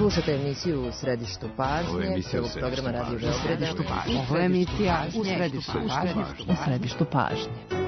Slušate emisiju U središtu pažnje, celog programa Radio Beograda. Ovo je emisija U središtu pažnje.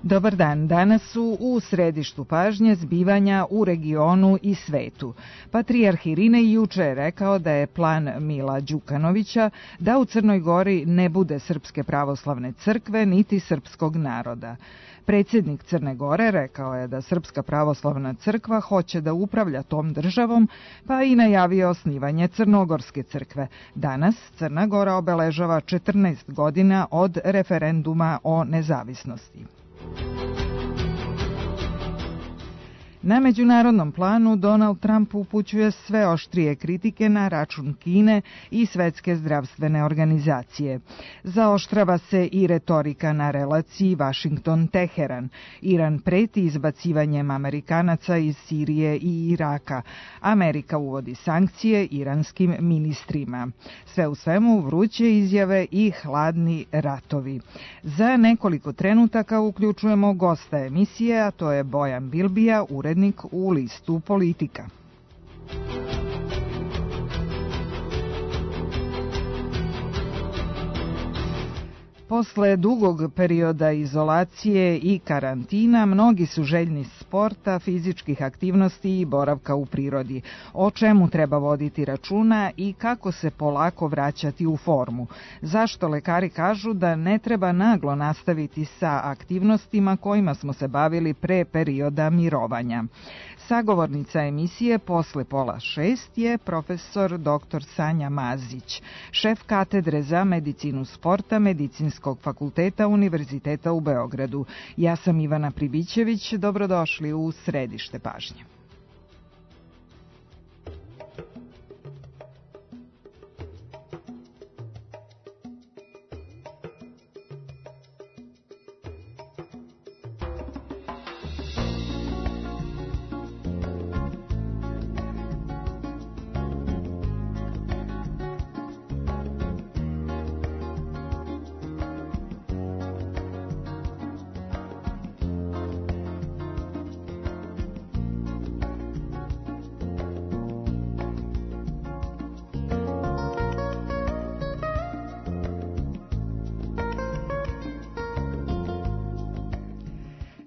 Dobar dan, danas su u središtu pažnje zbivanja u regionu i svetu. Patrijarh Irinej juče je rekao da je plan Mila Đukanovića da u Crnoj Gori ne bude Srpske pravoslavne crkve niti srpskog naroda. Predsjednik Crne Gore rekao je da Srpska pravoslavna crkva hoće da upravlja tom državom, pa i najavio osnivanje Crnogorske crkve. Danas Crna Gora obeležava 14 godina od referenduma o nezavisnosti. Na međunarodnom planu Donald Trump upućuje sve oštrije kritike na račun Kine i Svetske zdravstvene organizacije. Zaoštrava se i retorika na relaciji Vašington-Teheran. Iran preti izbacivanjem Amerikanaca iz Sirije i Iraka. Amerika uvodi sankcije iranskim ministrima. Sve u svemu vruće izjave i hladni ratovi. Za nekoliko trenutaka uključujemo gosta emisije, a to je Bojan Bilbija, urednik u listu Politika. Posle dugog perioda izolacije i karantina, mnogi su željni sporta, fizičkih aktivnosti i boravka u prirodi. O čemu treba voditi računa i kako se polako vraćati u formu? Zašto lekari kažu da ne treba naglo nastaviti sa aktivnostima kojima smo se bavili pre perioda mirovanja? Sagovornica emisije posle 5:30 je profesor dr. Sanja Mazić, šef katedre za medicinu sporta Medicinskog fakulteta Univerziteta u Beogradu. Ja sam Ivana Pribićević, dobrodošli u središte pažnje.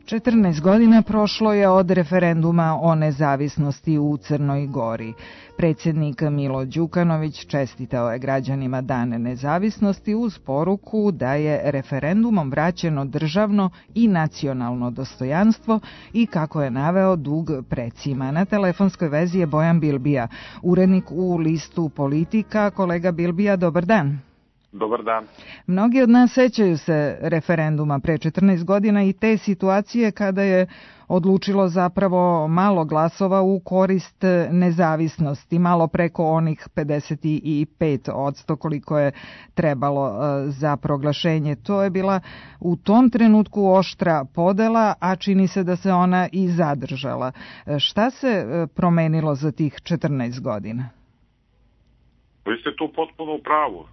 – 14 godina prošlo je od referenduma o nezavisnosti u Crnoj Gori. Predsjednik Milo Đukanović čestitao je građanima Dan nezavisnosti uz poruku da je referendumom vraćeno državno i nacionalno dostojanstvo i, kako je naveo, dug precima. Na telefonskoj vezi je Bojan Bilbija, urednik u listu Politika. Kolega Bilbija, dobar dan. Dobar dan. Mnogi od nas sećaju se referenduma pre 14 godina i te situacije kada je odlučilo zapravo malo glasova u korist nezavisnosti, malo preko onih 55% koliko je trebalo za proglašenje. To je bila u tom trenutku oštra podela, a čini se da se ona i zadržala. Šta se promenilo za tih 14 godina? Vi ste tu potpuno u pravu.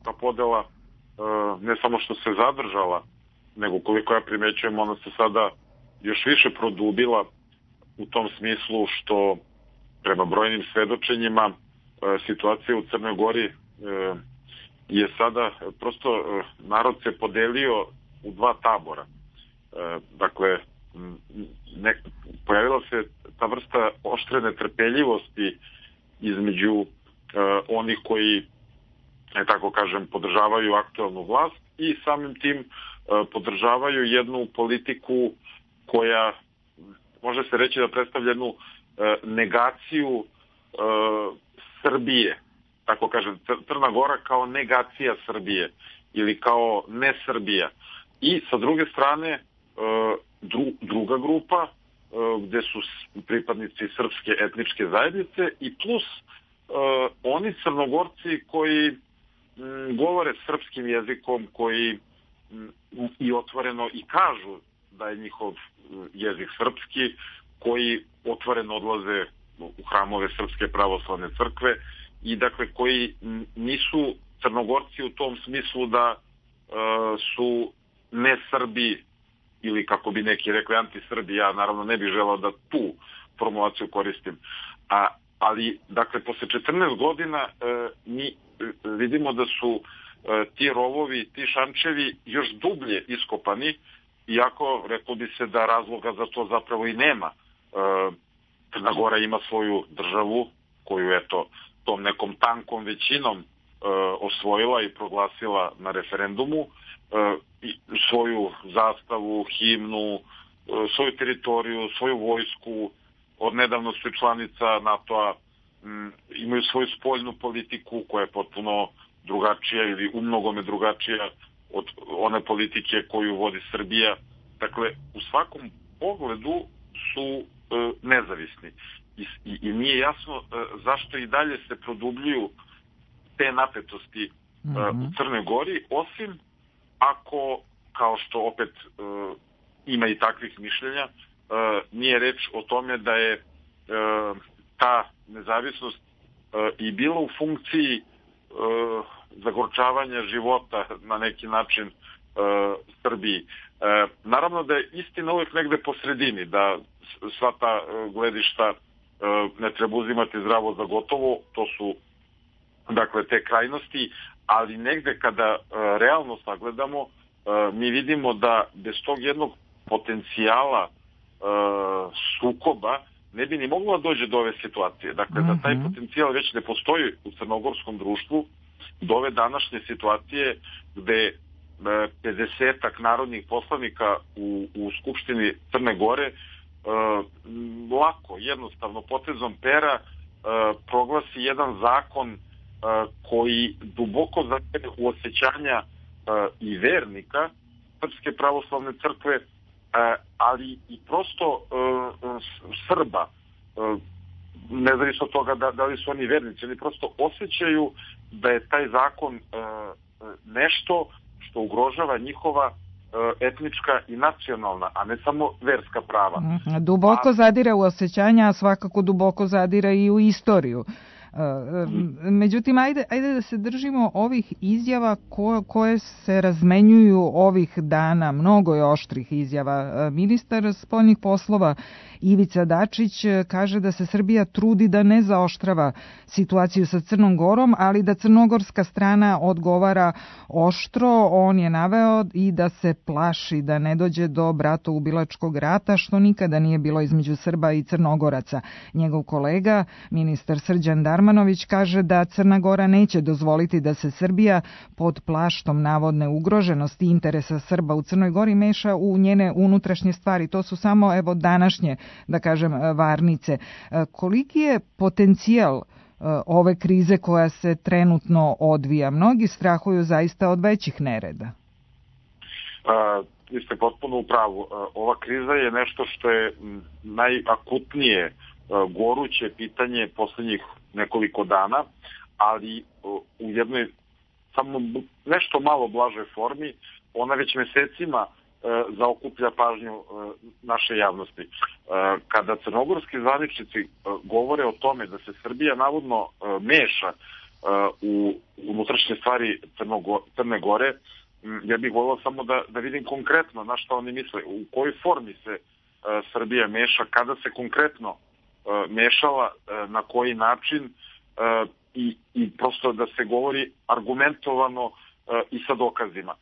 Ta podela ne samo što se zadržala, nego koliko ja primećujem, ona se sada još više produbila u tom smislu što prema brojnim svedočenjima situacija u Crnoj Gori je sada prosto narod se podelio u dva tabora. Dakle, pojavila se ta vrsta oštre netrpeljivosti između onih koji, tako kažem, podržavaju aktualnu vlast i samim tim podržavaju jednu politiku koja može se reći da predstavlja jednu negaciju Srbije, tako kažem, Crna Gora kao negacija Srbije ili kao ne Srbija. I sa druge strane druga grupa gde su pripadnici srpske etničke zajednice i plus oni Crnogorci koji govore srpskim jezikom, koji i otvoreno i kažu da je njihov jezik srpski, koji otvoreno odlaze u hramove Srpske pravoslavne crkve i dakle koji nisu Crnogorci u tom smislu da su ne Srbi ili kako bi neki rekli anti-Srbi. Ja naravno ne bih želao da tu formulaciju koristim. Ali dakle posle 14 godina mi vidimo da su ti rovovi, ti šančevi još dublje iskopani, iako reklo bi se da razloga za to zapravo i nema. Crna Gora ima svoju državu koju eto tom nekom tankom većinom osvojila i proglasila na referendumu, svoju zastavu, himnu, svoju teritoriju, svoju vojsku, odnedavno su članica NATO-a, imaju svoju spoljnu politiku koja je potpuno drugačija ili umnogome drugačija od one politike koju vodi Srbija. Dakle, u svakom pogledu su nezavisni. I nije jasno zašto i dalje se produbljuju te napetosti u Crnoj Gori, osim ako, kao što opet ima i takvih mišljenja, nije reč o tome da je ta nezavisnost i bila u funkciji zagorčavanja života na neki način Srbiji. Naravno da je istina uvijek negde po sredini, da sva ta gledišta ne treba uzimati zdravo za gotovo, to su dakle te krajnosti, ali negde kada realno sagledamo, mi vidimo da bez tog jednog potencijala sukoba ne bi ni moglo da dođe do ove situacije. Dakle, da taj potencijal već ne postoji u crnogorskom društvu, do ove današnje situacije gde 50-ak narodnih poslanika u Skupštini Crne Gore lako, jednostavno, potezom pera proglasi jedan zakon koji duboko zadire u osjećanja i vernika Srpske pravoslavne crkve, ali i prosto Srba, nezavisno od toga da li su oni vernici, oni prosto osjećaju da je taj zakon nešto što ugrožava njihova etnička i nacionalna, a ne samo verska prava. Duboko zadire u osjećanja, a svakako duboko zadire i u istoriju. Međutim, ajde da se držimo ovih izjava koje se razmenjuju ovih dana. Mnogo je oštrih izjava. Ministar spoljnih poslova Ivica Dačić kaže da se Srbija trudi da ne zaoštrava situaciju sa Crnom Gorom, ali da crnogorska strana odgovara oštro. On je naveo i da se plaši da ne dođe do bratoubilačkog rata, što nikada nije bilo između Srba i Crnogoraca. Njegov kolega, ministar Srđan Darmanović, kaže da Crna Gora neće dozvoliti da se Srbija pod plaštom navodne ugroženosti interesa Srba u Crnoj Gori meša u njene unutrašnje stvari. To su samo današnje, da kažem, varnice. Koliki je potencijal ove krize koja se trenutno odvija? Mnogi strahuju zaista od većih nereda. Vi ste potpuno u pravu. Ova kriza je nešto što je najakutnije goruće pitanje posljednjih nekoliko dana, ali u jednoj samo nešto malo blažoj formi ona već mesecima zaokuplja pažnju naše javnosti. Kada crnogorski zvaničnici govore o tome da se Srbija navodno meša u unutrašnje stvari Crne Gore, ja bih volio samo da vidim konkretno na što oni misle, u kojoj formi se Srbija meša, kada se konkretno mešala, na koji način i prosto da se govori argumentovano i sa dokazima.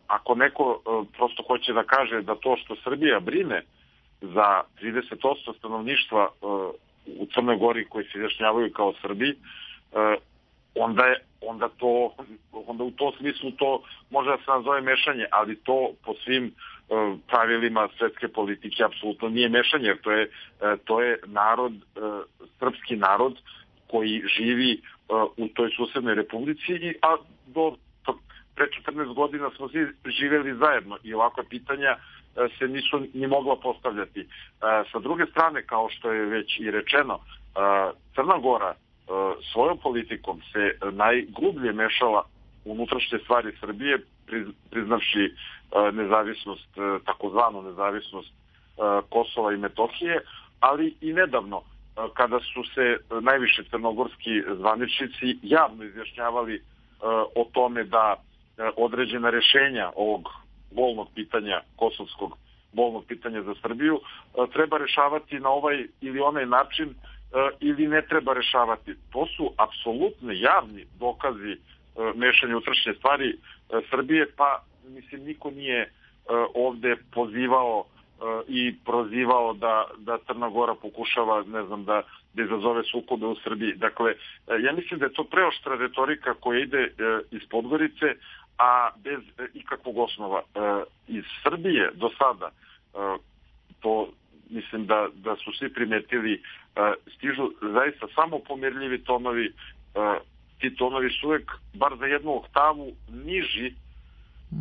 Ako neko prosto hoće da kaže da to što Srbija brine za 30% stanovništva u Crnoj Gori koji se izjašnjavaju kao Srbi, onda u tom smislu to može da se nazove mešanje, ali to po svim pravilima svetske politike apsolutno nije mešanje, jer to je narod, srpski narod koji živi u toj susednoj republici, a do pre 14 godina smo svi živjeli zajedno i ovakva pitanja se nisu ni mogla postavljati. Sa druge strane, kao što je već i rečeno, Crna Gora svojom politikom se najgrublje mešala u unutrašnje stvari Srbije priznavši nezavisnost, takozvanu nezavisnost Kosova i Metohije, ali i nedavno kada su se najviše crnogorski zvaničnici javno izjašnjavali o tome da određena rješenja ovog bolnog pitanja, kosovskog bolnog pitanja za Srbiju, treba rešavati na ovaj ili onaj način ili ne treba rešavati. To su apsolutno javni dokazi mešanja u unutrašnje stvari Srbije, pa mislim niko nije ovde pozivao i prozivao da Crna Gora pokušava, ne znam, da izazove sukobe u Srbiji. Dakle, ja mislim da je to preoštra retorika koja ide iz Podgorice, a bez ikakvog osnova. Iz Srbije do sada, to mislim da su svi primetili, stižu zaista samo pomirljivi tonovi. Ti tonovi su uvek, bar za jednu oktavu, niži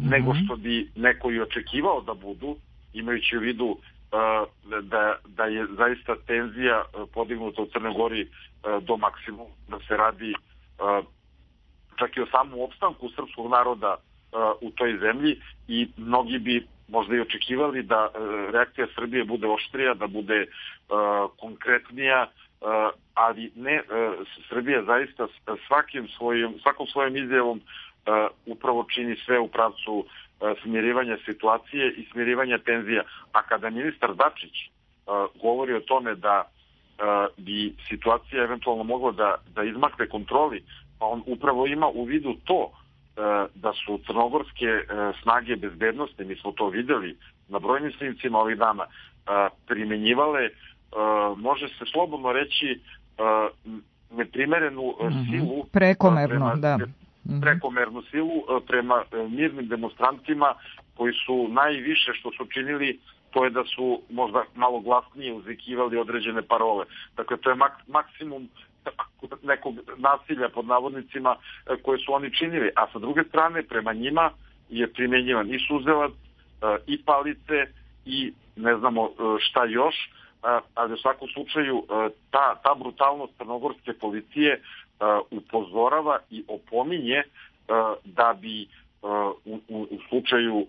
nego što bi neko i očekivao da budu, imajući u vidu da je zaista tenzija podignuta u Crnoj Gori do maksimuma, da se radi čak i o samom opstanku srpskog naroda u toj zemlji, i mnogi bi možda i očekivali da reakcija Srbije bude oštrija, da bude konkretnija, ali ne, Srbija zaista svakom svojom izjavom upravo čini sve u pravcu smirivanja situacije i smirivanja tenzija. A kada ministar Dačić govori o tome da bi situacija eventualno mogla da izmakne kontroli, pa on upravo ima u vidu to da su crnogorske snage bezbednosti, mi smo to videli na brojnim snimcima ovih dana, primenjivale, može se slobodno reći, neprimerenu silu, prekomernu silu prema mirnim demonstrantima, koji su najviše što su činili, to je da su možda malo glasnije uzvikivali određene parole. Dakle, to je maksimum nekog nasilja pod navodnicima koje su oni činili. A sa druge strane, prema njima je primenjivan i suzelac, i palice, i ne znamo šta još, ali u svakom slučaju ta brutalnost crnogorske policije upozorava i opominje da bi u slučaju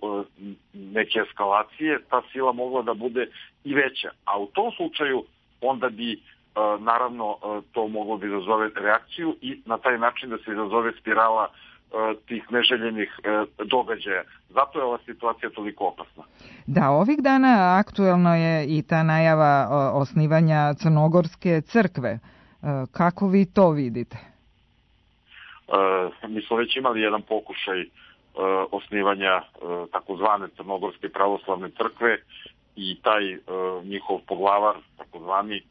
neke eskalacije ta sila mogla da bude i veća. A u tom slučaju onda bi naravno to moglo da izazove reakciju i na taj način da se izazove spirala tih neželjenih događaja. Zato je ova situacija toliko opasna. Da, ovih dana aktuelno je i ta najava osnivanja Crnogorske crkve. Kako vi to vidite? Mi smo već imali jedan pokušaj osnivanja takozvane Crnogorske pravoslavne crkve, i taj njihov poglavar, takozvani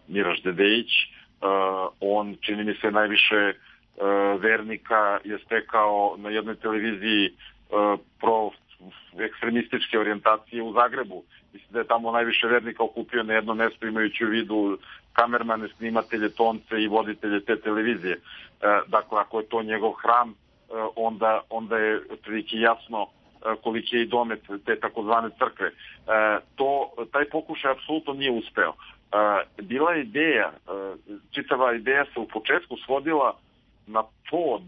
Miraš Dedejić, on, čini mi se, najviše vernika je stekao na jednoj televiziji ekstremističke orijentacije u Zagrebu. Mislim da je tamo najviše vernika okupio na jedno mesto, imajući u vidu kamermane, snimatelje, tonce i voditelje te televizije. Dakle, ako je to njegov hram, onda je otprilike jasno koliki je i domet te takozvane crkve. Taj pokušaj apsolutno nije uspeo. Bila je ideja, čitava ideja se u početku svodila na to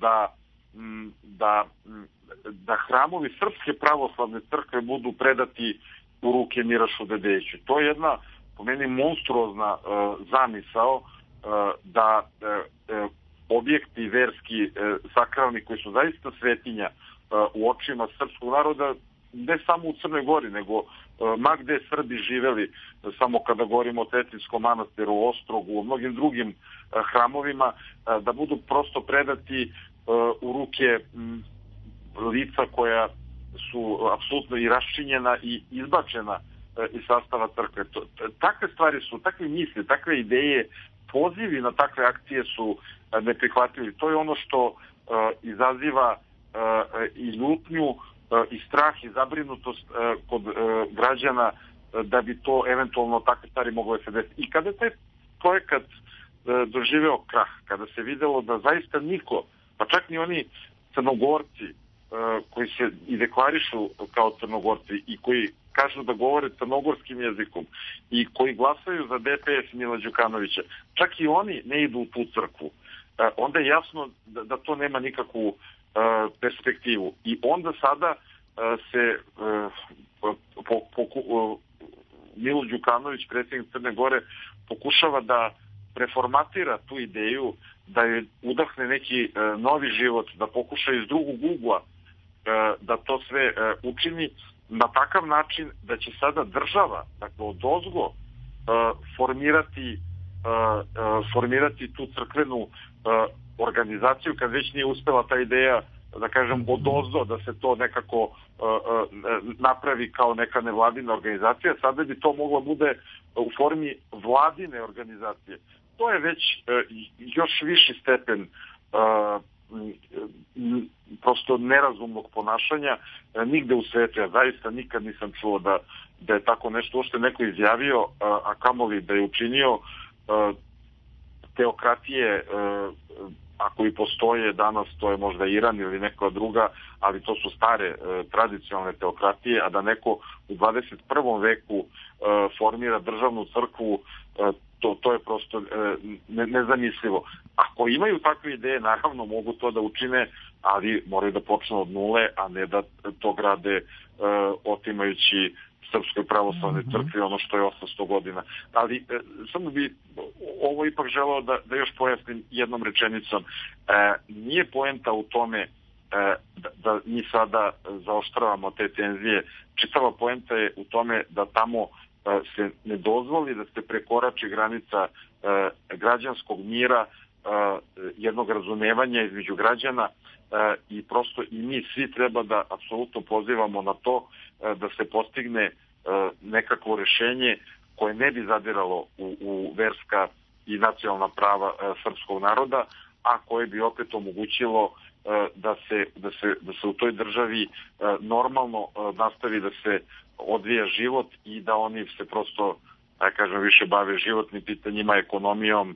da hramovi Srpske pravoslavne crkve budu predati u ruke Mirašu Dedejiću. To je jedna, po meni, monstruozna zamisao da objekti verski, sakralni, koji su zaista svetinja u očima srpskog naroda, ne samo u Crnoj Gori, nego ma gde Srbi živeli, samo kada govorimo o Cetinjskom manastiru, u Ostrogu, u mnogim drugim hramovima, da budu prosto predati u ruke lica koja su apsolutno i raščinjena i izbačena iz sastava crkve. Takve stvari su, takve misli, takve ideje, pozivi na takve akcije su neprihvatljivi. To je ono što izaziva i ljutnju i strah i zabrinutost kod građana da bi to eventualno takve stvari moglo se desiti. I kada je taj projekat doživeo krah, kada se videlo da zaista niko, pa čak ni oni Crnogorci koji se i deklarišu kao Crnogorci i koji kažu da govore crnogorskim jezikom i koji glasaju za DPS Mila Đukanovića, čak i oni ne idu u tu crkvu. Onda je jasno da to nema nikakvu perspektivu. I onda sada se Milo Đukanović, predsjednik Crne Gore, pokušava da preformatira tu ideju, da je udahne neki novi život, da pokuša iz drugog ugla da to sve učini na takav način da će sada država, dakle odozgo, formirati tu crkvenu organizaciju, kad već nije uspela ta ideja, da kažem, odozdo, da se to nekako napravi kao neka nevladina organizacija. Sada bi to moglo bude u formi vladine organizacije. To je već još viši stepen prosto nerazumnog ponašanja nigde u svetu. Ja zaista nikad nisam čuo da je tako nešto uopšte neko izjavio, a kamoli da je učinio. Teokratije, ako i postoje danas, to je možda Iran ili neka druga, ali to su stare tradicionalne teokratije, a da neko u 21. veku formira državnu crkvu, to je prosto nezamislivo. Ako imaju takve ideje, naravno mogu to da učine, ali moraju da počnu od nule, a ne da to grade otimajući Srpskoj pravoslavnoj crkvi ono što je 800 godina. Ali samo bi ovo ipak želeo da još pojasnim jednom rečenicom. Nije poenta u tome da mi sada zaoštravamo te tenzije. Čitava poenta je u tome da tamo se ne dozvoli da se prekorači granica građanskog mira, jednog razumevanja između građana, i prosto i mi svi treba da apsolutno pozivamo na to da se postigne nekakvo rešenje koje ne bi zadiralo u verska i nacionalna prava srpskog naroda, a koje bi opet omogućilo da se u toj državi normalno nastavi da se odvija život i da oni se prosto, da kažem, više bave životnim pitanjima, ekonomijom,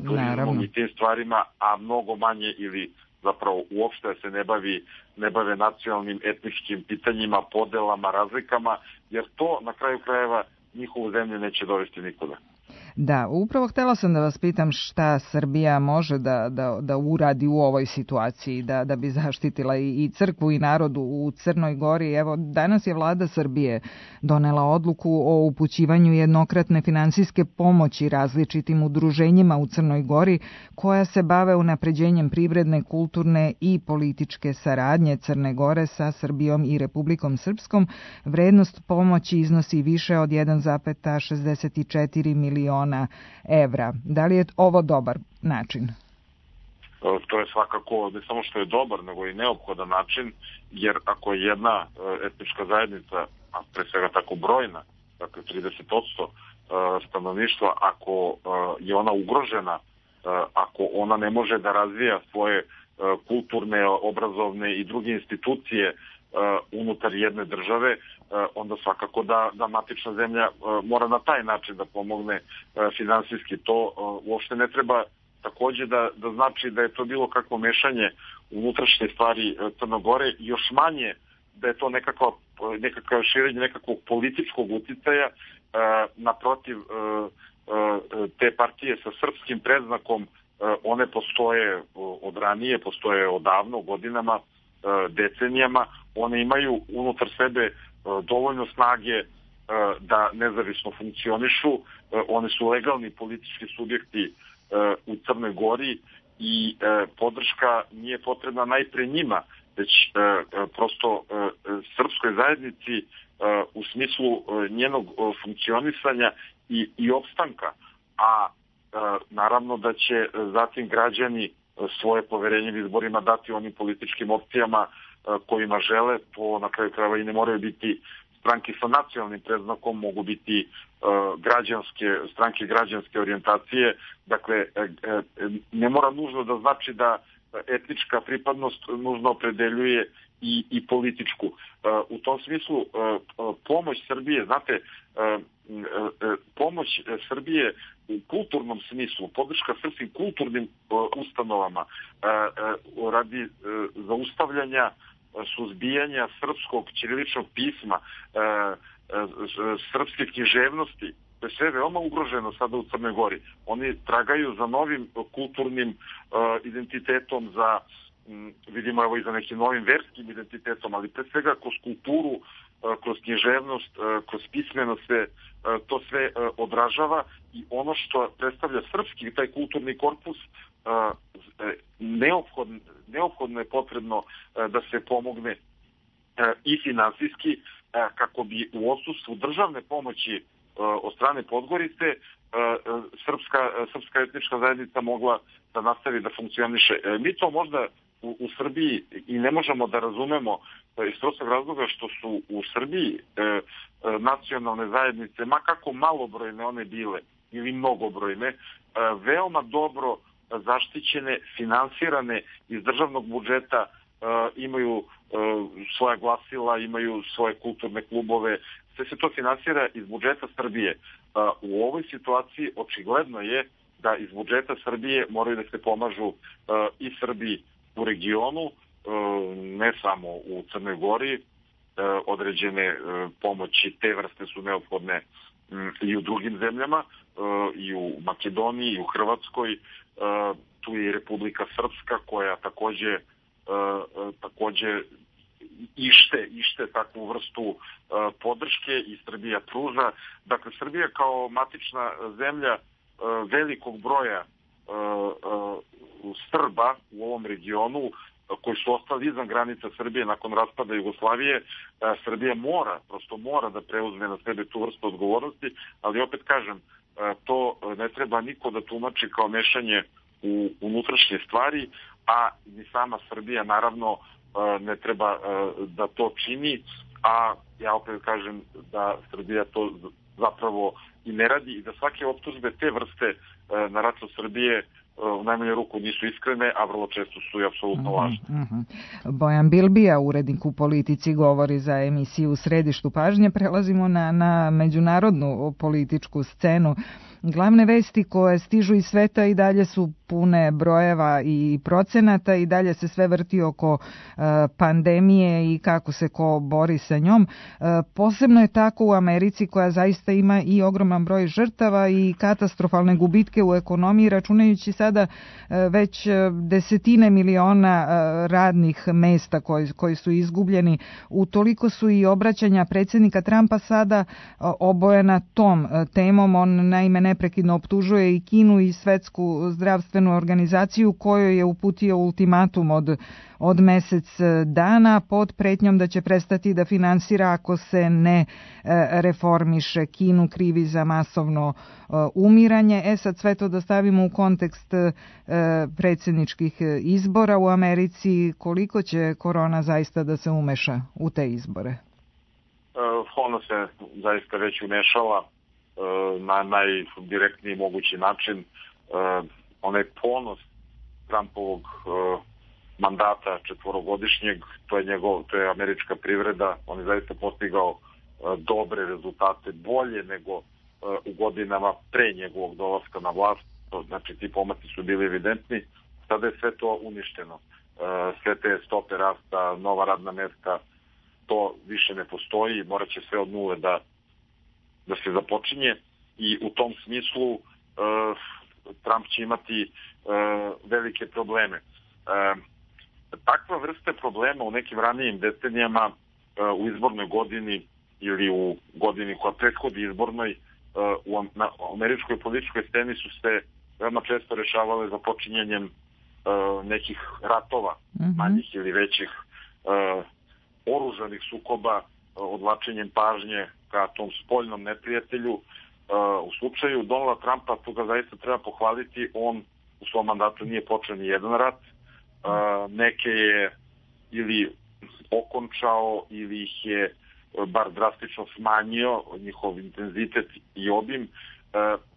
turizmom i tim stvarima, a mnogo manje ili zapravo uopšte se ne bave nacionalnim, etničkim pitanjima, podelama, razlikama, jer to na kraju krajeva njihovu zemlju neće dovesti nikuda. Da, upravo htjela sam da vas pitam šta Srbija može da uradi u ovoj situaciji, da bi zaštitila i crkvu i narodu u Crnoj Gori. Evo, danas je vlada Srbije donela odluku o upućivanju jednokratne finansijske pomoći različitim udruženjima u Crnoj Gori koja se bave unapređenjem privredne, kulturne i političke saradnje Crne Gore sa Srbijom i Republikom Srpskom. Vrednost pomoći iznosi više od 1,64 miliona evra. Da li je ovo dobar način? To je svakako ne samo što je dobar, nego i neophodan način, jer ako je jedna etnička zajednica, a pre svega tako brojna, dakle 30% stanovništva, ako je ona ugrožena, ako ona ne može da razvija svoje kulturne, obrazovne i druge institucije unutar jedne države, onda svakako da matična zemlja mora na taj način da pomogne finansijski. To uopšte ne treba takođe da znači da je to bilo kakvo mešanje u unutrašnje stvari Crne Gore, još manje da je to nekakav širenje nekakvog političkog uticaja. Naprotiv, te partije sa srpskim predznakom, one postoje od ranije, postoje odavno, godinama, decenijama. One imaju unutar sebe dovoljno snage da nezavisno funkcionišu. One su legalni politički subjekti u Crnoj Gori i podrška nije potrebna najpre njima, već prosto srpskoj zajednici u smislu njenog funkcionisanja i opstanka. A naravno da će zatim građani svoje poverenje u izborima dati onim političkim opcijama kojima žele. To na kraju krajeva i ne moraju biti stranke sa nacionalnim predznakom, mogu biti stranke građanske orijentacije. Dakle, ne mora nužno da znači da etnička pripadnost nužno opredeljuje i političku. U tom smislu pomoć Srbije, znate, pomoć Srbije u kulturnom smislu, podrška srpskim kulturnim ustanovama radi zaustavljanja, suzbijanja srpskog ćiriličnog pisma, srpske književnosti, to je sve veoma ugroženo sada u Crnoj Gori. Oni tragaju za novim kulturnim identitetom, za vidimo evo i za nekim novim verskim identitetom, ali pre svega kroz kulturu, kroz književnost, kroz pismenost se to sve odražava i ono što predstavlja srpski, taj kulturni korpus, neophodno je potrebno da se pomogne i finansijski kako bi u odsustvu državne pomoći od strane Podgorice srpska etnička zajednica mogla da nastavi da funkcioniše. Mi to možda u Srbiji i ne možemo da razumemo iz prostog razloga što su u Srbiji nacionalne zajednice, ma kako malobrojne one bile ili mnogobrojne, veoma dobro zaštićene, finansirane iz državnog budžeta, imaju svoja glasila, imaju svoje kulturne klubove, sve se to finansira iz budžeta Srbije. U ovoj situaciji očigledno je da iz budžeta Srbije moraju da se pomažu i Srbi u regionu, ne samo u Crnoj Gori, određene pomoći te vrste su neophodne i u drugim zemljama, i u Makedoniji, i u Hrvatskoj, tu je i Republika Srpska koja takođe ište takvu vrstu podrške i Srbija pruža. Dakle, Srbija kao matična zemlja velikog broja Srba u ovom regionu koji su ostali izvan granica Srbije nakon raspada Jugoslavije, Srbija mora da preuzme na sebe tu vrstu odgovornosti, ali opet kažem, to ne treba niko da tumači kao mešanje u unutrašnje stvari, a ni sama Srbija naravno ne treba da to čini, a ja opet kažem da Srbija to zapravo i ne radi i da svake optužbe te vrste na račun Srbije u najmanju ruku nisu iskrene, a vrlo često su i apsolutno lažne. Bojan Bilbija, urednik u Politici, govori za emisiju U središtu pažnje. Prelazimo na međunarodnu političku scenu. Glavne vesti koje stižu iz sveta i dalje su pune brojeva i procenata i dalje se sve vrti oko pandemije i kako se ko bori sa njom. Posebno je tako u Americi koja zaista ima i ogroman broj žrtava i katastrofalne gubitke u ekonomiji, računajući sada već desetine miliona radnih mesta koji su izgubljeni. Utoliko su i obraćanja predsjednika Trumpa sada obojena tom temom. On naime neprekidno optužuje i Kinu i Svetsku zdravstvenu organizaciju kojoj je uputio ultimatum od mesec dana pod pretnjom da će prestati da finansira ako se ne reformiše. Kinu krivi za masovno umiranje. Sad sve to da stavimo u kontekst predsjedničkih izbora u Americi. Koliko će korona zaista da se umeša u te izbore? Ona se zaista već umešala na najdirektniji mogući način. Onaj ponos Trumpovog mandata četvorogodišnjeg, to je američka privreda. On je zaista postigao dobre rezultate, bolje nego u godinama pre njegovog dolaska na vlast. Znači, ti pomaci su bili evidentni. Sada je sve to uništeno. Sve te stope rasta, nova radna mesta, to više ne postoji. Morat će sve od nule da se započinje i u tom smislu Trump će imati velike probleme. Takva vrsta problema u nekim ranijim decenijama u izbornoj godini ili u godini koja prethodi izbornoj na američkoj političkoj sceni su se veoma često rešavale započinjanjem nekih ratova, manjih ili većih, oružanih sukoba, odvlačenjem pažnje ka tom spoljnom neprijatelju. U slučaju Donalda Trumpa, tu ga zaista treba pohvaliti, on u svom mandatu nije počeo ni jedan rat, neke je ili okončao ili ih je bar drastično smanjio, njihov intenzitet i obim,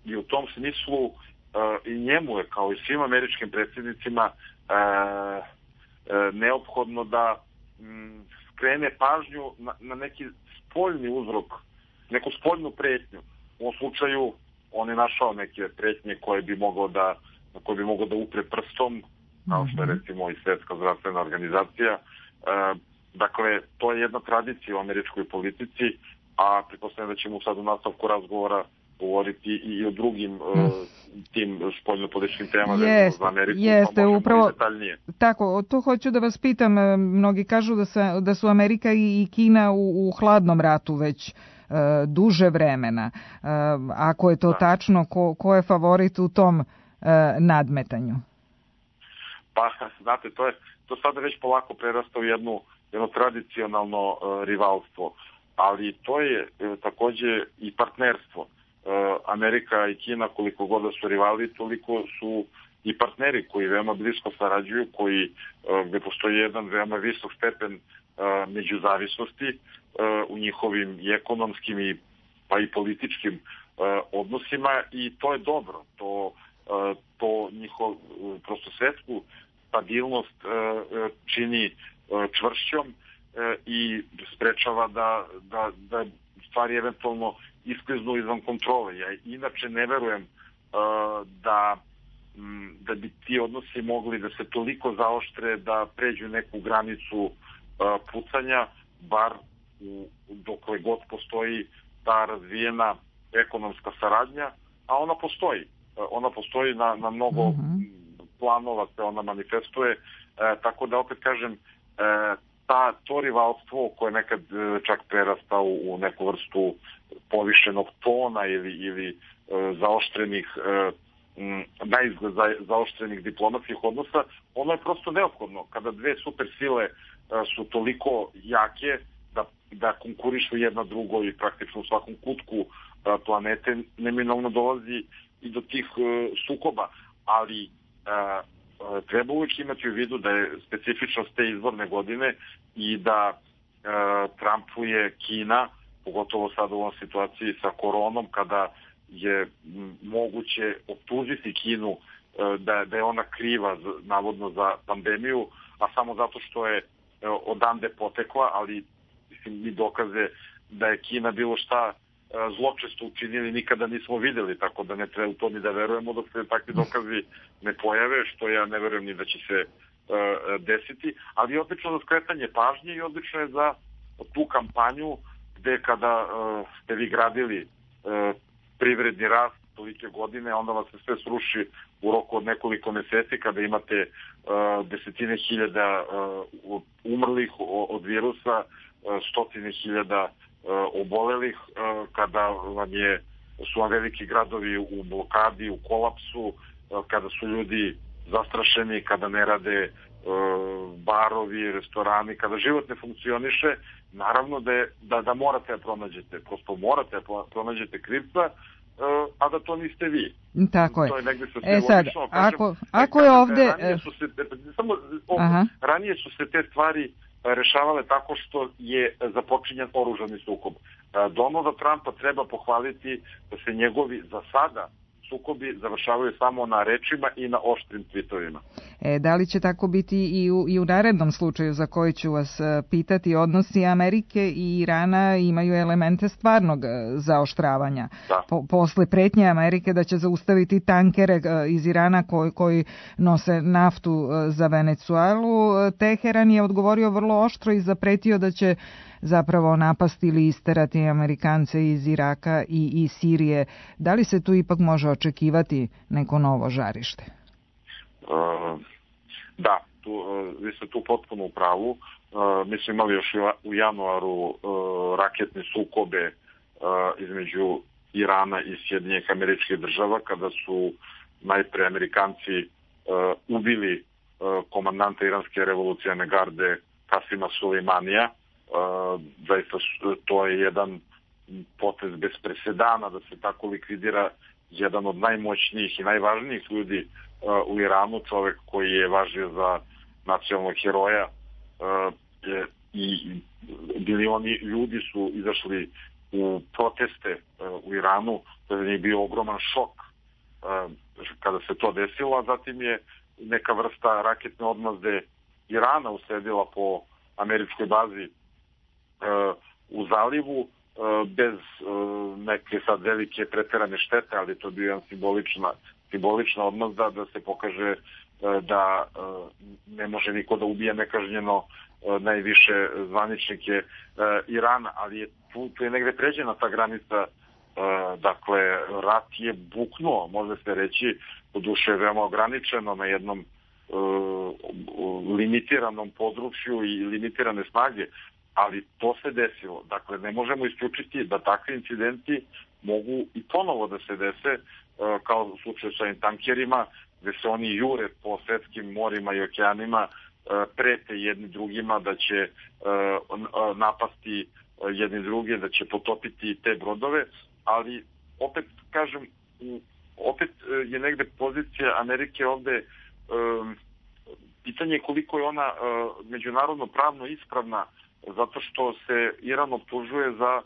i u tom smislu i njemu je, kao i svim američkim predsjednicima, neophodno da skrene pažnju na neki spoljni uzrok, neku spoljnu pretnju. U ovom slučaju on je našao neke pretnje na koje bi mogao da upre prstom, kao što je recimo i Svetska zdravstvena organizacija. Dakle, to je jedna tradicija u američkoj politici, a pretpostavljam da ćemo sad u nastavku razgovora govoriti i o drugim tim spoljnopolitičkim temama za Ameriku, jeste, pa možemo upravo, i detaljnije. Tako, to hoću da vas pitam, mnogi kažu da su Amerika i Kina u hladnom ratu već duže vremena. Ako je to tačno, ko je favorit u tom nadmetanju? Pa, znate, to sada već polako prerasta u jedno tradicionalno rivalstvo, ali to je takođe i partnerstvo. Amerika i Kina, koliko god da su rivali, toliko su i partneri koji veoma blisko sarađuju, gde postoji jedan veoma visok stepen međuzavisnosti u njihovim i ekonomskim pa i političkim odnosima, i to je dobro. To njihov prosto svetsku stabilnost čini čvršćom i sprečava da stvari eventualno iskliznu izvan kontrole. Ja inače ne verujem da bi ti odnosi mogli da se toliko zaoštre da pređu neku granicu pucanja, bar dokle god postoji ta razvijena ekonomska saradnja, a ona postoji. Ona postoji na mnogo planova, se ona manifestuje, tako da opet kažem, to rivalstvo koje nekad čak prerasta u neku vrstu povišenog tona ili zaoštrenih naizgled zaoštrenih diplomatskih odnosa, ono je prosto neophodno. Kada dve super sile su toliko jake da konkurišu jedna drugoj i praktično u svakom kutku planete, neminovno dolazi i do tih sukoba, ali treba uvijek imati u vidu da je specifičnost te izborne godine i da trampuje Kina, pogotovo sada u ovom situaciji sa koronom, kada je moguće optužiti Kinu da je ona kriva navodno za pandemiju, a samo zato što je odande potekla, ali mi dokaze da je Kina bilo šta zločesto učinili nikada nismo videli, tako da ne treba u to ni da verujemo dok se takvi dokazi ne pojave, što ja ne verujem ni da će se desiti, ali odlično za skretanje pažnje i odlično je za tu kampanju gde kada ste vi gradili privredni rast tolike godine, onda vas se sve sruši u roku od nekoliko meseci kada imate desetine hiljada umrlih od virusa, stotine hiljada obolelih, kada su vam veliki gradovi u blokadi, u kolapsu, kada su ljudi zastrašeni, kada ne rade barovi, restorani, kada život ne funkcioniše, naravno da morate da pronađete, prosto morate da pronađete krivca, a da to niste vi. Tako je. To je negde sa sad, ako je ovde... Ranije su se te stvari rešavale tako što je započinjan oružani sukob. Donalda Trumpa treba pohvaliti da se njegovi za sada sukobi završavaju samo na rečima i na oštrim tvitovima. Da li će tako biti i u narednom slučaju za koji ću vas pitati? Odnosi Amerike i Irana imaju elemente stvarnog zaoštravanja. Posle pretnje Amerike da će zaustaviti tankere iz Irana koji nose naftu za Venecuelu, Teheran je odgovorio vrlo oštro i zapretio da će zapravo napasti ili isterati Amerikance iz Iraka i Sirije. Da li se tu ipak može očekivati neko novo žarište? Da, vi ste tu potpuno u pravu. Mi smo imali još u januaru raketne sukobe između Irana i Sjedinjenih Američkih Država, kada su najpre Amerikanci ubili komandanta iranske revolucionarne garde Kasima Sulejmanija. Zaista to je jedan potez bez presedana da se tako likvidira jedan od najmoćnijih i najvažnijih ljudi u Iranu, čovek koji je važio za nacionalnog heroja, i milioni ljudi su izašli u proteste u Iranu. To je bio ogroman šok kada se to desilo, a zatim je neka vrsta raketne odmazde Irana usledila po američkoj bazi u zalivu, bez neke sad velike preterane štete, ali to je bio jedan simbolična odmazda da se pokaže da ne može niko da ubije nekažnjeno najviše zvaničnike Irana, ali tu je negde pređena ta granica Dakle, rat je buknuo, može se reći, doduše veoma ograničeno na jednom limitiranom području i limitirane snage, ali to se desilo. Dakle, ne možemo isključiti da takvi incidenti mogu i ponovo da se dese, kao u slučaju sa tankerima, gde se oni jure po svetskim morima i okeanima, prete jedni drugima da će napasti jedni druge, da će potopiti te brodove, ali opet kažem, opet je negde pozicija Amerike ovde, pitanje je koliko je ona međunarodno pravno ispravna, zato što se Iran optužuje za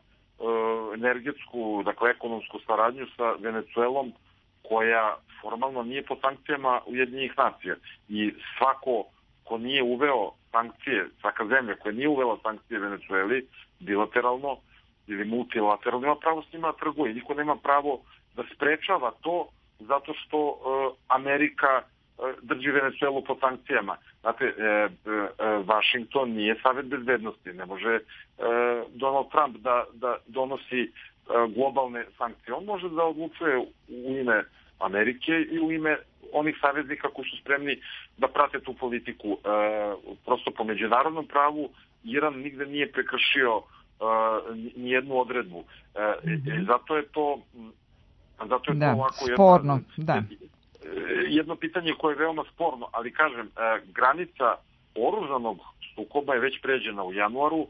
energetsku, dakle ekonomsku saradnju sa Venecuelom, koja formalno nije po sankcijama Ujedinjenih nacija. I svako ko nije uveo sankcije, svaka zemlja koja nije uvela sankcije Venecueli, bilateralno ili multilateralno, nema pravo s njima trguje. Niko nema pravo da sprečava to zato što Amerika drži Venecuelu pod sankcijama. Znate, Vašington nije Savet bezbednosti, ne može Donald Trump da donosi globalne sankcije. On može da odlučuje u ime Amerike i u ime onih saveznika koji su spremni da prate tu politiku. Prosto po međunarodnom pravu Iran nigde nije prekršio nijednu odredbu. Zato je to ovako sporno, jedno pitanje koje je veoma sporno, ali kažem, granica oružanog sukoba je već pređena u januaru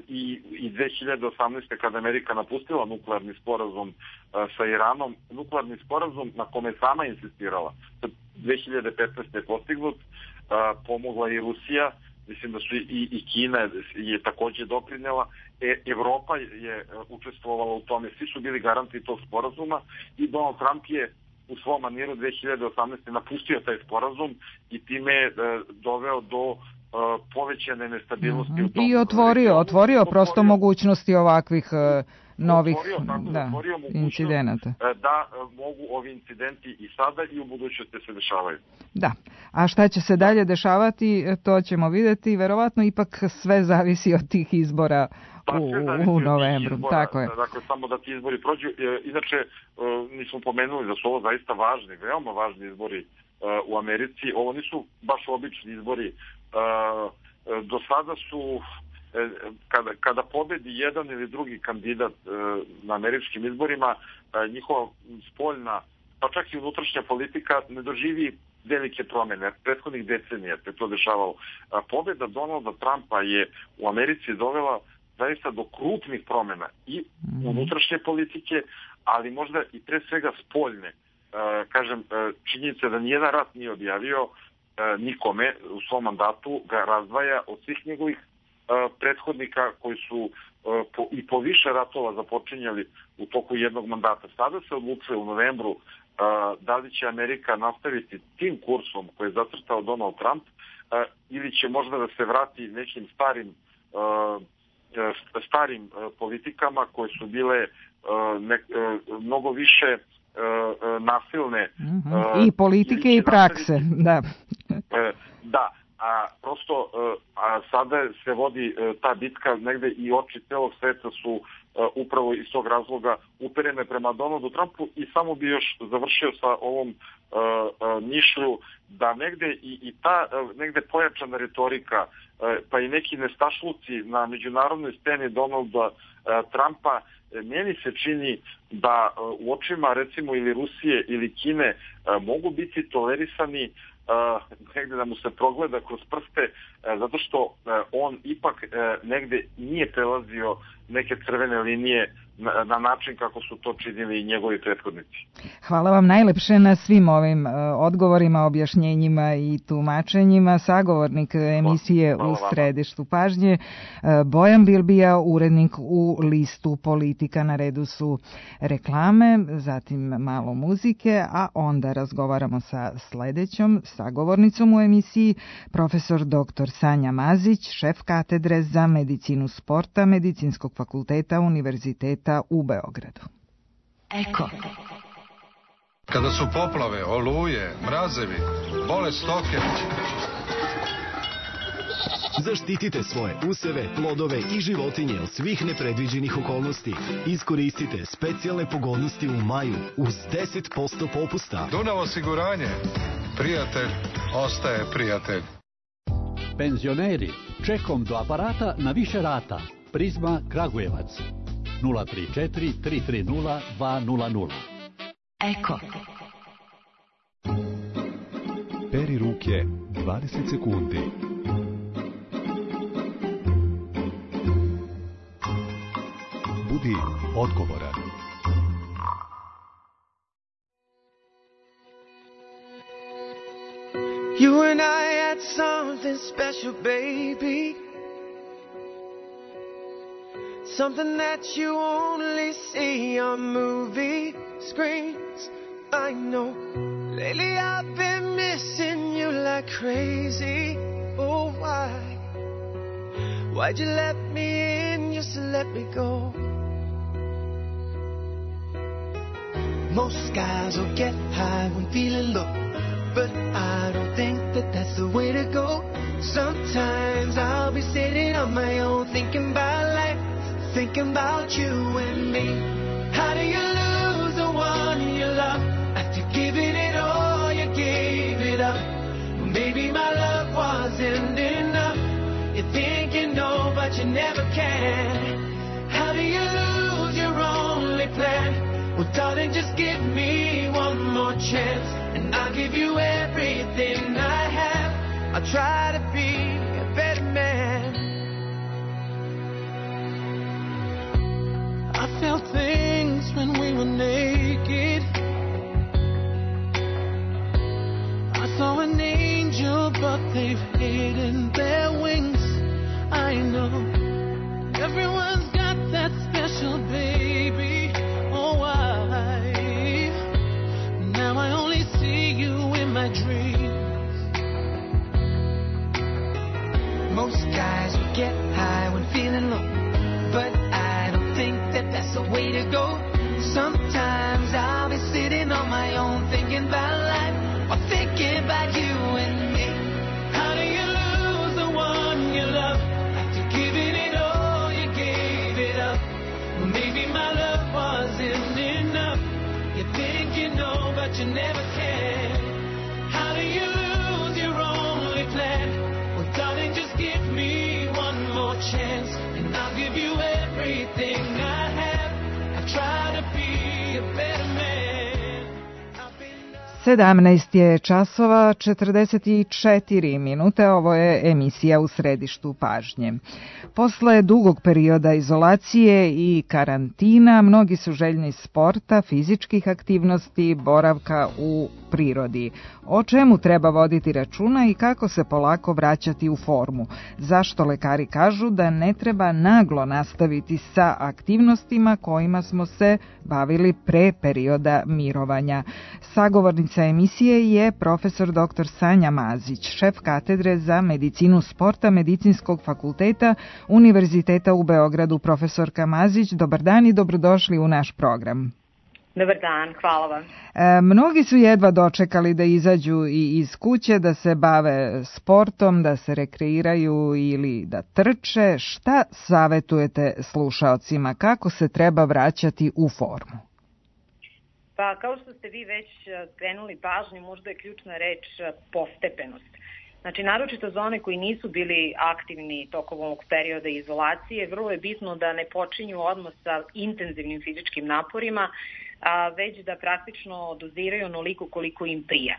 i 2018. kada Amerika napustila nuklearni sporazum sa Iranom, nuklearni sporazum na kome je sama insistirala. 2015. je postignut, pomogla i Rusija, mislim da su i Kina je takođe doprinela, Evropa je učestvovala u tome, svi su bili garanti tog sporazuma i Donald Trump je u svom maniru 2018. napustio taj sporazum i time je doveo do povećane nestabilnosti. I otvorio prosto mogućnosti ovakvih novih incidenata. Da mogu ovi incidenti i sada i u budućnosti se dešavaju. Da, a šta će se dalje dešavati, to ćemo videti. Verovatno ipak sve zavisi od tih izbora u novembru. Tako je. Dakle, samo da ti izbori prođu. Inače, nismo pomenuli da su ovo zaista važni, veoma važni izbori u Americi. Ovo nisu baš obični izbori. Do sada su, kada pobedi jedan ili drugi kandidat na američkim izborima, njihova spoljna, pa čak i unutrašnja politika ne doživi velike promene. Prethodnih decenija se to dešavalo. Pobeda Donalda Trumpa je u Americi dovela zaista do krupnih promena i unutrašnje politike, ali možda i pre svega spoljne. Kažem, činjenica da nijedan rat nije objavio nikome u svom mandatu ga razdvaja od svih njegovih prethodnika koji su i po više ratova započinjali u toku jednog mandata. Sada se odlučuje u novembru da li će Amerika nastaviti tim kursom koji je zacrtao Donald Trump ili će možda da se vrati nekim starim politikama koje su bile mnogo više nasilne. I politike i prakse, da. Da, prosto sada se vodi ta bitka negde i oči celog sveta su upravo iz tog razloga uperene prema Donaldu Trumpu i samo bi još završio sa ovom mišlju da negde i ta negde pojačana retorika pa i neki nestašluci na međunarodnoj sceni Donalda Trumpa, meni se čini da u očima recimo ili Rusije ili Kine mogu biti tolerisani negde da mu se progleda kroz prste zato što on ipak negde nije prelazio neke crvene linije na način kako su to činili i njegovi prethodnici. Hvala vam najlepše na svim ovim odgovorima, objašnjenjima i tumačenjima. Sagovornik emisije U središtu pažnje, Bojan Bilbija, urednik u listu Politika. Na redu su reklame, zatim malo muzike, a onda razgovaramo sa sledećom sagovornicom u emisiji, profesor dr. Sanja Mazić, šef katedre za medicinu sporta Medicinskog fakulteta Univerziteta u Beogradu. Eko. Kada su poplave, oluje, mrazevi, bolest stoke, Zaštitite svoje useve, plodove i životinje od svih nepredviđenih okolnosti. Iskoristite specijalne pogodnosti u maju uz 10% popusta. Dunav osiguranje. Prijatelj ostaje prijatelj. Penzioneri, čekom do aparata na više rata. Prizma Kragujevac. 034 330 200. Eko. Peri ruke 20 sekundi. Budi odgovoran. You and I had something special, baby. Something that you only see on movie screens. I know. Lately I've been missing you like crazy. Oh, why? Why'd you let me in just to let me go? Most guys will get high when feeling low, but I don't think that that's the way to go. Sometimes I'll be sitting on my own thinking about life, thinking about you and me. How do you lose the one you love after giving it all, you gave it up? Maybe my love wasn't enough. You think you know, but you never can. How do you lose your only plan? Well, darling, just give me one more chance, and I'll give you everything I have. I'll try to be a better man. I felt things when we were naked. I saw an angel, but they've hidden their wings. I know everyone's got that special baby. Oh, why? Now I only see you in my dreams. Most guys will get high when feeling low, but I don't think that that's the way to go. Sometimes I'll be sitting on my own thinking about life, or thinking about you and me. How do you lose the one you love after giving it all, you gave it up? Maybe my love wasn't enough. You think you know, but you never can. How do you lose your only plan? Well, darling, just give me one more chance, and I'll give you everything I have. I'll try to be a better man. 17 je časova 44 minute, ovo je emisija U središtu pažnje. Posle dugog perioda izolacije i karantina, mnogi su željni sporta, fizičkih aktivnosti, boravka u prirodi. O čemu treba voditi računa i kako se polako vraćati u formu? Zašto lekari kažu da ne treba naglo nastaviti sa aktivnostima kojima smo se bavili pre perioda mirovanja? Sagovornica emisije je profesor dr. Sanja Mazić, šef katedre za medicinu sporta Medicinskog fakulteta Univerziteta u Beogradu. Profesorka Mazić, dobar dan i dobrodošli u naš program. Dobar dan, hvala vam. Mnogi su jedva dočekali da izađu i iz kuće, da se bave sportom, da se rekreiraju ili da trče. Šta savetujete slušaocima? Kako se treba vraćati u formu? Pa kao što ste vi već skrenuli pažnju, možda je ključna reč postepenost. Znači, naročito za one koji nisu bili aktivni tokom ovog perioda izolacije, vrlo je bitno da ne počinju odmah sa intenzivnim fizičkim naporima, već da praktično doziraju onoliko koliko im prija.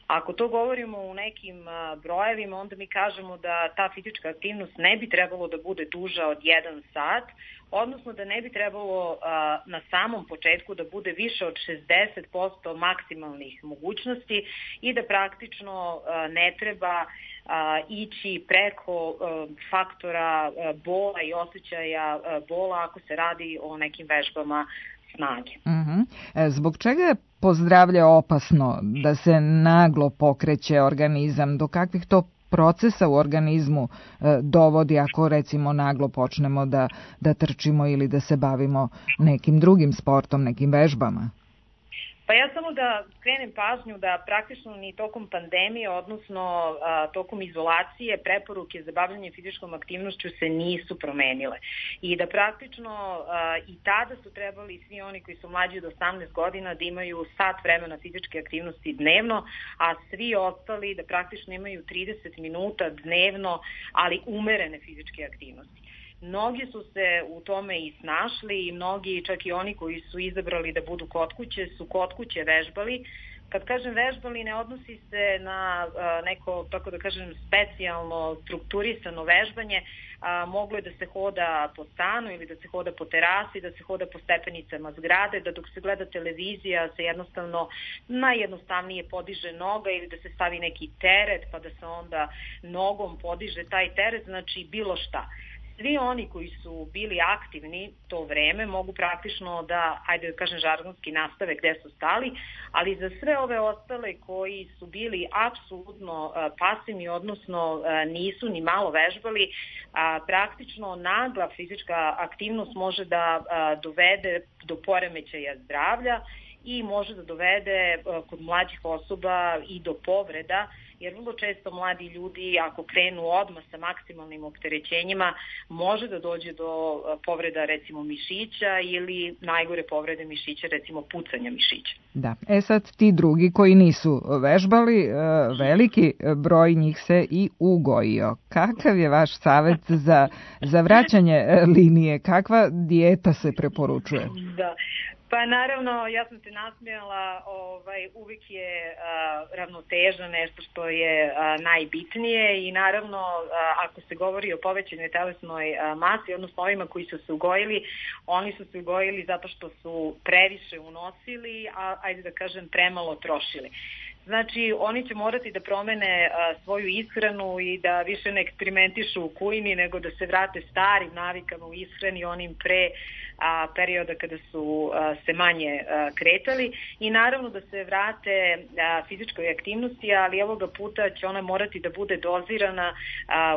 Ako to govorimo u nekim brojevima, onda mi kažemo da ta fizička aktivnost ne bi trebalo da bude duža od 1 sat, odnosno da ne bi trebalo na samom početku da bude više od 60% maksimalnih mogućnosti i da praktično ne treba ići preko faktora bola i osjećaja bola ako se radi o nekim vežbama snage. Zbog čega je po zdravlje opasno da se naglo pokreće organizam? Do kakvih to procesa u organizmu dovodi ako recimo naglo počnemo da trčimo ili da se bavimo nekim drugim sportom, nekim vežbama? Pa ja samo da skrenem pažnju da praktično ni tokom pandemije, odnosno tokom izolacije, preporuke za bavljanje fizičkom aktivnošću se nisu promenile. I da praktično i tada su trebali svi oni koji su mlađi od 18 godina da imaju sat vremena fizičke aktivnosti dnevno, a svi ostali da praktično imaju 30 minuta dnevno, ali umerene fizičke aktivnosti. Mnogi su se u tome i snašli i mnogi, čak i oni koji su izabrali da budu kod kuće, su kod kuće vežbali. Kad kažem vežbali, ne odnosi se na neko, tako da kažem, specijalno strukturisano vežbanje. Moglo je da se hoda po stanu ili da se hoda po terasi, da se hoda po stepenicama zgrade, da dok se gleda televizija se jednostavno najjednostavnije podiže noga ili da se stavi neki teret pa da se onda nogom podiže taj teret, znači bilo šta. Svi oni koji su bili aktivni to vreme mogu praktično da, ajde da kažem žargonski, nastave gde su stali, ali za sve ove ostale koji su bili apsolutno pasivni, odnosno nisu ni malo vežbali, praktično nagla fizička aktivnost može da dovede do poremećaja zdravlja i može da dovede kod mlađih osoba i do povreda, jer vrlo često mladi ljudi ako krenu odmah sa maksimalnim opterećenjima može da dođe do povreda recimo mišića ili najgore povrede mišića, recimo pucanja mišića. Da, sad ti drugi koji nisu vežbali, veliki broj njih se i ugojio. Kakav je vaš savet za vraćanje linije? Kakva dijeta se preporučuje? Da. Pa naravno, ja sam se nasmijala, uvijek je ravnoteža nešto što je najbitnije i naravno ako se govori o povećanoj telesnoj masi, odnosno ovima koji su se ugojili, oni su se ugojili zato što su previše unosili, a ajde da kažem premalo trošili. Znači, oni će morati da promene svoju ishranu i da više ne eksperimentišu u kuhinji, nego da se vrate starim navikama u ishrani, onim pre perioda kada su se manje kretali i naravno da se vrate fizičkoj aktivnosti, ali ovoga puta će ona morati da bude dozirana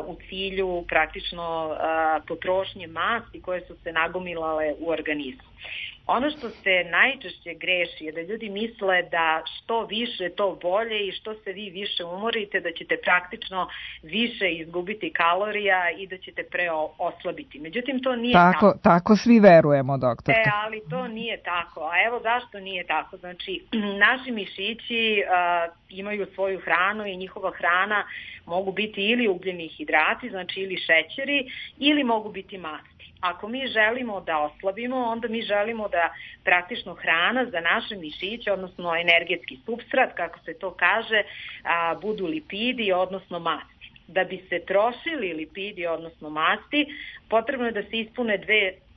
u cilju praktično potrošnje masti koje su se nagomilale u organizmu. Ono što se najčešće greši je da ljudi misle da što više to bolje i što se vi više umorite da ćete praktično više izgubiti kalorija i da ćete oslabiti. Međutim, to nije tako. Tako svi verujemo, doktorka. Ali to nije tako. A evo zašto nije tako. Znači, naši mišići imaju svoju hranu i njihova hrana mogu biti ili ugljeni hidrati, znači ili šećeri, ili mogu biti masti. Ako mi želimo da oslabimo, onda mi želimo da praktično hrana za naše mišiće, odnosno energetski supstrat, kako se to kaže, budu lipidi, odnosno masti. Da bi se trošili lipidi, odnosno masti, potrebno je da se ispune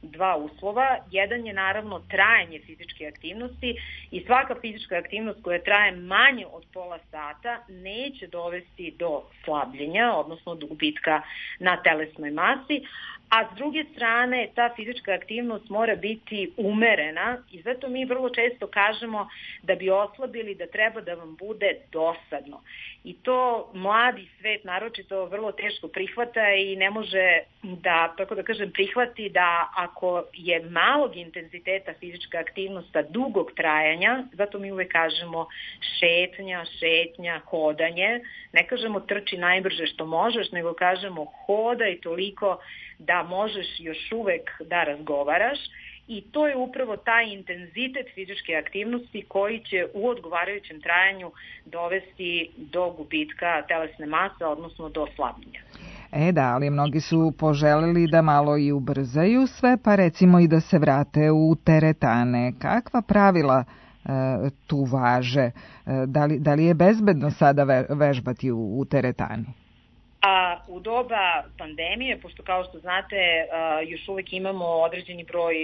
dva uslova. Jedan je naravno trajanje fizičke aktivnosti i svaka fizička aktivnost koja traje manje od pola sata neće dovesti do slabljenja, odnosno do gubitka na telesnoj masi, a s druge strane ta fizička aktivnost mora biti umerena i zato mi vrlo često kažemo da bi oslabili da treba da vam bude dosadno. I to mladi svet naročito vrlo teško prihvata i ne može da, tako da kažem, prihvati da ako je malog intenziteta fizička aktivnost dugog trajanja, zato mi uvek kažemo šetnja, hodanje, ne kažemo trči najbrže što možeš, nego kažemo hodaj toliko da možeš još uvek da razgovaraš i to je upravo taj intenzitet fizičke aktivnosti koji će u odgovarajućem trajanju dovesti do gubitka telesne mase, odnosno do slabljenja. Da, ali mnogi su poželeli da malo i ubrzaju sve, pa recimo i da se vrate u teretane. Kakva pravila tu važe? Da li je bezbedno sada vežbati u teretani? A u doba pandemije, pošto kao što znate još uvek imamo određeni broj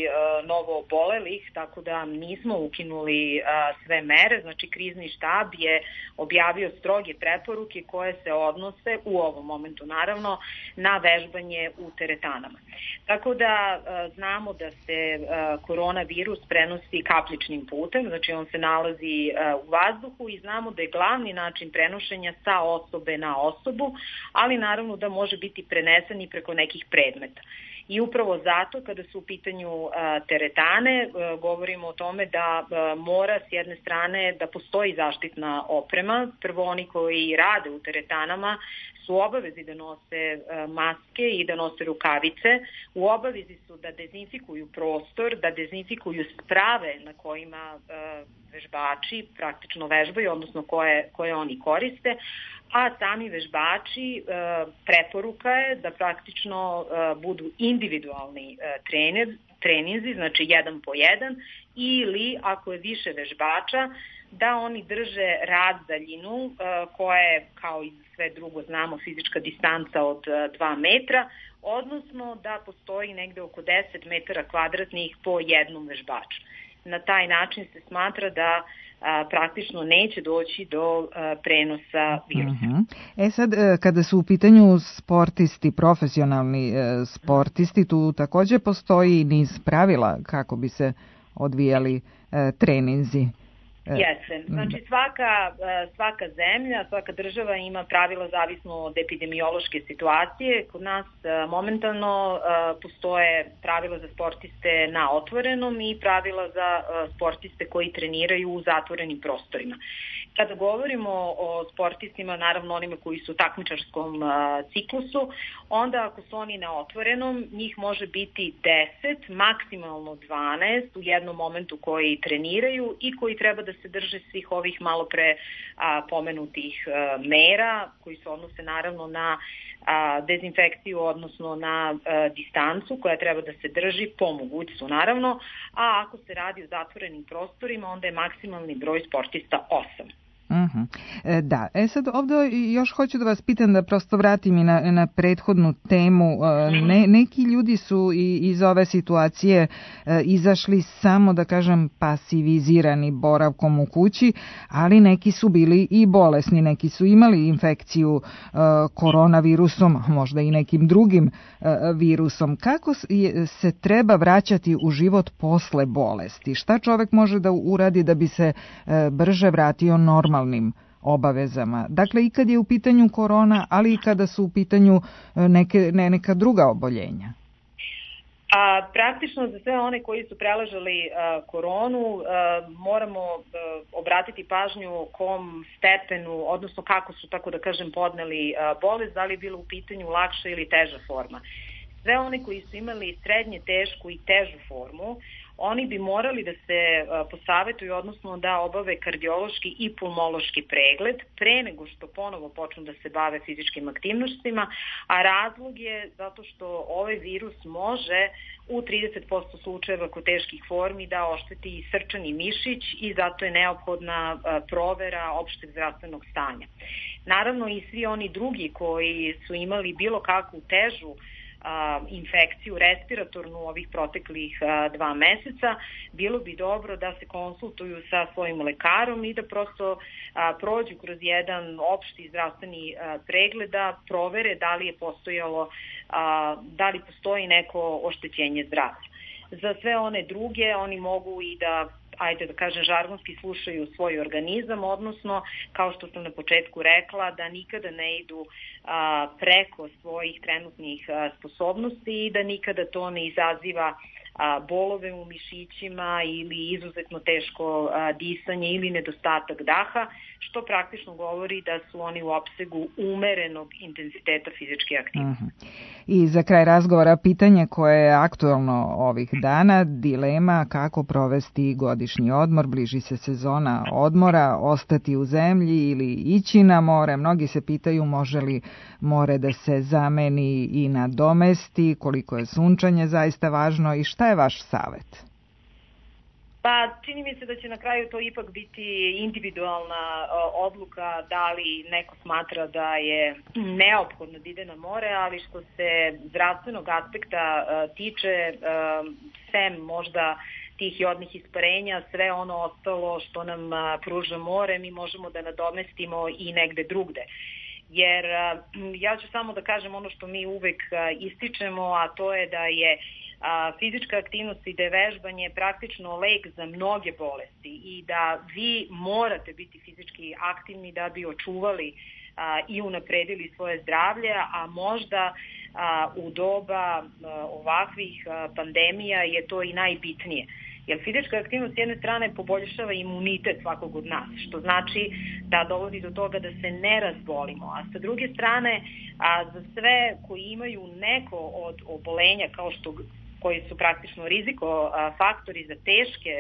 novo obolelih, tako da nismo ukinuli sve mere, znači krizni štab je objavio stroge preporuke koje se odnose u ovom momentu naravno na vežbanje u teretanama. Tako da znamo da se koronavirus prenosi kapljičnim putem, znači on se nalazi u vazduhu i znamo da je glavni način prenošenja sa osobe na osobu, ali naravno da može biti prenesen i preko nekih predmeta. I upravo zato kada su u pitanju teretane govorimo o tome da mora s jedne strane da postoji zaštitna oprema. Prvo oni koji rade u teretanama su u obavezi da nose maske i da nose rukavice, u obavezi su da dezinfikuju prostor, da dezinfikuju sprave na kojima vežbači praktično vežbaju, odnosno koje oni koriste, a sami vežbači preporuka je da praktično budu individualni treninzi, znači 1 po 1, ili ako je više vežbača, da oni drže razdaljinu koja je, kao i sve drugo znamo, fizička distanca od 2 metra, odnosno da postoji negde oko 10 metara kvadratnih po jednom vežbaču. Na taj način se smatra da praktično neće doći do prenosa virusa. Sad, kada su u pitanju sportisti, profesionalni sportisti, tu takođe postoji niz pravila kako bi se odvijali treninzi. Jeste. Znači svaka zemlja, svaka država ima pravila zavisno od epidemiološke situacije. Kod nas momentalno postoje pravila za sportiste na otvorenom i pravila za sportiste koji treniraju u zatvorenim prostorima. Kada govorimo o sportistima, naravno onima koji su u takmičarskom ciklusu, onda ako su oni na otvorenom, njih može biti 10, maksimalno 12 u jednom momentu koji treniraju i koji treba da se drže svih ovih malo pre pomenutih mera, koji se odnose naravno na dezinfekciju, odnosno na distancu koja treba da se drži po mogućstvu naravno, a ako se radi o zatvorenim prostorima, onda je maksimalni broj sportista 8. Da, sad ovdje još hoću da vas pitam, da prosto vratim i na prethodnu temu. Neki ljudi su iz ove situacije izašli samo, da kažem, pasivizirani boravkom u kući, ali neki su bili i bolesni, neki su imali infekciju koronavirusom, možda i nekim drugim virusom. Kako se treba vraćati u život posle bolesti? Šta čovek može da uradi da bi se brže vratio normalnim obavezama? Dakle, i kad je u pitanju korona, ali i kada su u pitanju neka druga oboljenja. Praktično za sve one koji su preležali koronu moramo obratiti pažnju kom stepenu, odnosno kako su, tako da kažem, podneli bolest, da li je bilo u pitanju lakša ili teža forma. Sve one koji su imali srednje tešku i težu formu, oni bi morali da se posavetuju, odnosno da obave kardiološki i pulmološki pregled pre nego što ponovo počnu da se bave fizičkim aktivnostima, a razlog je zato što ovaj virus može u 30% slučajeva kod teških formi da ošteti i srčani mišić i zato je neophodna provera opšteg zdravstvenog stanja. Naravno i svi oni drugi koji su imali bilo kakvu težu infekciju respiratornu ovih proteklih 2 meseca, bilo bi dobro da se konsultuju sa svojim lekarom i da prosto prođu kroz jedan opšti zdravstveni pregled, da provere da li je postojalo, da li postoji neko oštećenje zdravlja. Za sve one druge, oni mogu i da, ajde da kažem, žargonski slušaju svoj organizam, odnosno, kao što sam na početku rekla, da nikada ne idu preko svojih trenutnih sposobnosti i da nikada to ne izaziva bolove u mišićima ili izuzetno teško disanje ili nedostatak daha, što praktično govori da su oni u opsegu umerenog intenziteta fizičke aktivnosti. I za kraj razgovora pitanje koje je aktuelno ovih dana, dilema kako provesti godišnji odmor, bliži se sezona odmora, ostati u zemlji ili ići na more. Mnogi se pitaju može li more da se zameni i nadomesti, koliko je sunčanje zaista važno i šta je vaš savet? Pa čini mi se da će na kraju to ipak biti individualna odluka da li neko smatra da je neophodno da ide na more, ali što se zdravstvenog aspekta tiče, sem možda tih jodnih isparenja, sve ono ostalo što nam pruža more mi možemo da nadomestimo i negde drugde. Jer ja ću samo da kažem ono što mi uvek ističemo, a to je da je fizička aktivnost i da je vežbanje praktično lek za mnoge bolesti i da vi morate biti fizički aktivni da bi očuvali i unapredili svoje zdravlje, a možda u doba ovakvih pandemija je to i najbitnije. Jer fizička aktivnost s jedne strane poboljšava imunitet svakog od nas, što znači da dovodi do toga da se ne razbolimo. A sa druge strane, za sve koji imaju neko od obolenja koji su praktično riziko faktori za teške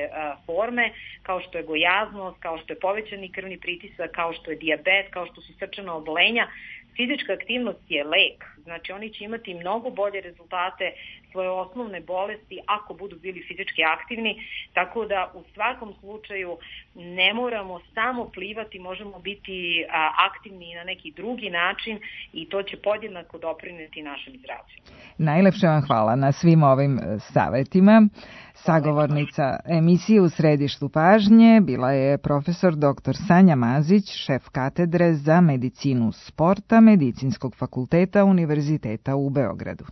forme, kao što je gojaznost, kao što je povećani krvni pritisak, kao što je dijabet, kao što su srčana obolenja, fizička aktivnost je lek. Znači oni će imati mnogo bolje rezultate svoje osnovne bolesti ako budu bili fizički aktivni, tako da u svakom slučaju ne moramo samo plivati, možemo biti aktivni na neki drugi način i to će podjednako doprineti našem zdravlju. Najlepše vam hvala na svim ovim savetima. Sagovornica emisije U središtu pažnje bila je profesor dr. Sanja Mazić, šef katedre za medicinu sporta Medicinskog fakulteta Univerziteta u Beogradu.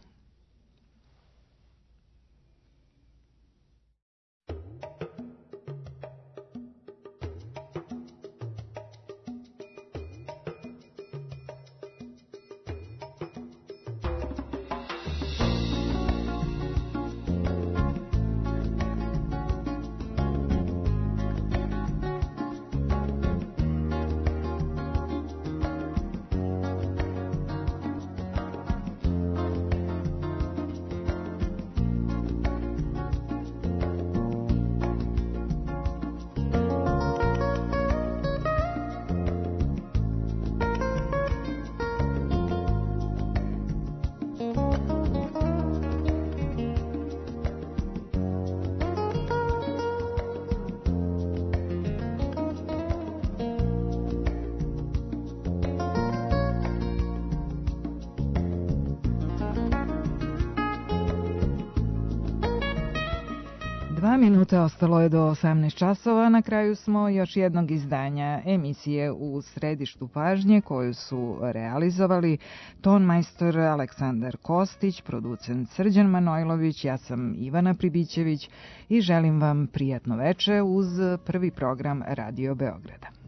Minuta ostalo je do 18 časova. Na kraju smo još jednog izdanja emisije U središtu pažnje koju su realizovali tonmajstor Aleksandar Kostić, producent Srđan Manojlović, ja sam Ivana Pribićević i želim vam prijatno veče uz prvi program Radio Beograda.